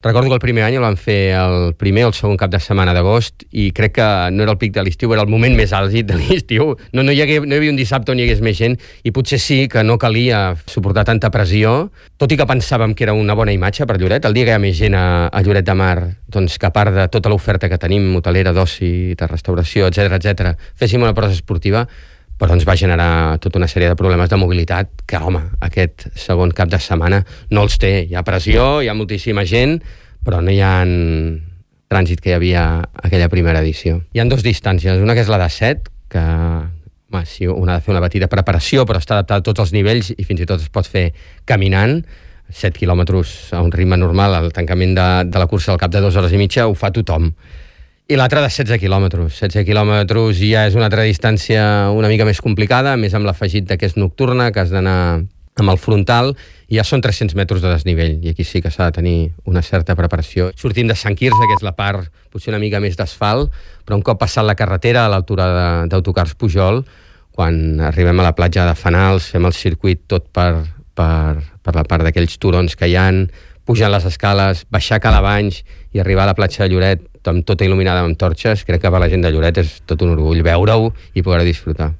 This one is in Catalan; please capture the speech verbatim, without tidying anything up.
Recordo que el primer any el vam fer el primer o el segon cap de setmana d'agost i crec que no era el pic de l'estiu, era el moment més àlgid de l'estiu. No, no, hi hagué, no hi havia un dissabte on hi hagués més gent i potser sí que no calia suportar tanta pressió, tot i que pensàvem que era una bona imatge per Lloret. El dia que hi ha més gent a, a Lloret de Mar, doncs que a part de tota l'oferta que tenim, hotelera, d'oci, de restauració, etcètera, etcètera, féssim una prosa esportiva, però ens va generar tota una sèrie de problemes de mobilitat que, home, aquest segon cap de setmana no els té. Hi ha pressió, hi ha moltíssima gent, però no hi ha trànsit que hi havia aquella primera edició. Hi ha dues distàncies, una que és la de set, que home, sí, una ha de fer una petita preparació, però està adaptada a tots els nivells i fins i tot es pot fer caminant. set quilòmetres a un ritme normal, el tancament de, de la cursa al cap de dues hores i mitja ho fa tothom. I l'altra de setze quilòmetres. setze quilòmetres ja és una altra distància una mica més complicada, més amb l'afegit que és nocturna, que has d'anar amb el frontal, i ja són tres-cents metres de desnivell, i aquí sí que s'ha de tenir una certa preparació. Sortim de Sant Quirze, que és la part potser una mica més d'asfalt, però un cop passat la carretera a l'altura d'Autocars Pujol, quan arribem a la platja de Fanals, fem el circuit tot per, per, per la part d'aquells turons que hi ha, pujant les escales, baixar Calabanys i arribar a la platja de Lloret amb tota il·luminada amb torxes. Crec que per la gent de Lloret és tot un orgull veure-ho i poder disfrutar.